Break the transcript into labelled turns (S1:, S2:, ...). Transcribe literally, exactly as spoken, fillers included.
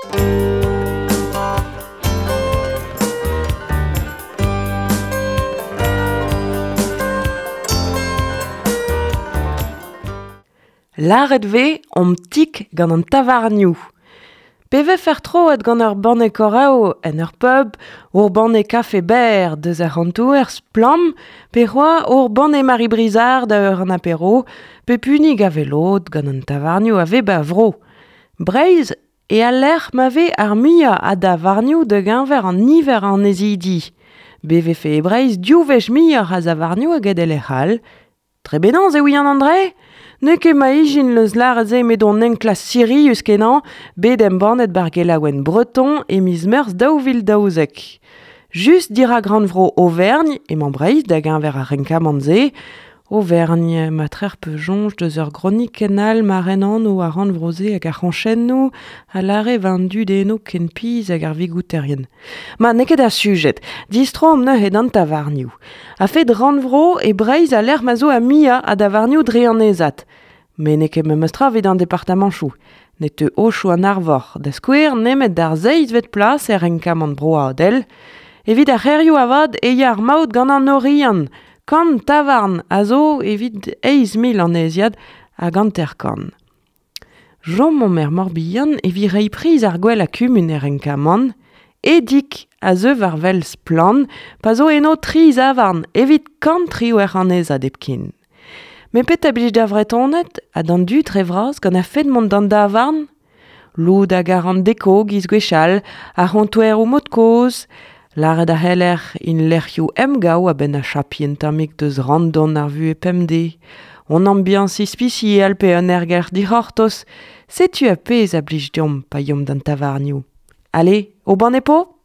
S1: Lâret 'vez omp tik gant an tavarnioù. Pe vefer troet gant ur banne korav en ur pub, ur banne kafe ber deus ar c'hantouer splam, pe c'hoa ur banne Marie Brizard da ur an apéro, pe punig a velod gant an tavarnioù a vez ba vro. Breizh e al lec'h ma vez ar muiañ a davarnioù da geñver an niver an ezidi. Be vefe e Breizh div wech muioc'h a zavarnioù hag e lec'h all. Tre benañs e ouian André? N'eo ket ma ijin leus lâret se met on enklas sirius kenañ, bet embannet bar gelaouenn Breton e miz Meurzh daou vil daouzek. Just dirak rannvro Auvergne, emañ Breizh da geñver ar renkamant-se, Auvergne, ma trec'h pe soñj deus ur gronik kenal ma ren anv ar rannvro-se hag ar c'hoñchennoù a lâre war an dud eno ken pizh hag ar vigouterien. Ma n'eo ket ar sujet, distro omp neuze d'an tavarnioù. A-fet rannvro e Breizh a lec'h ma zo a muiañ a davarnioù dre an ezat. Met n'eo ket memes tra evit an departamanchoù. Ne teu Aochou an Arvor da skouer nemet d'ar seizhvet plas er renkamant broadel. Evit ar c'hêrioù avat e ya ar maout gant an Oriant. Kant tavarn a zo evit eizh mil anneziad hag hanter-kant. Chom er Morbihan evit reiñ priz ar gwell a kumun er renkamant. Edig a zeu war wel splann pa zo eno tri zavarn evit kant triwec'h annezad hepken. Met petra blij da Vretoned ha d'an dud re vras gant ar fed mont d'an davarn? Lod hag ar an deko giz gwechall, ar c'hontouer o mod kozh, Lâret a c'heller in lec'hioù emgav a-benn a chapi un tammig deus randon ar vuhez pemdez. On ambiance ispisial pe un ergelc'h dic'hortoz, setu ar pezh a blij deomp pa yomp d'an tavarnioù. Allez, au banne po?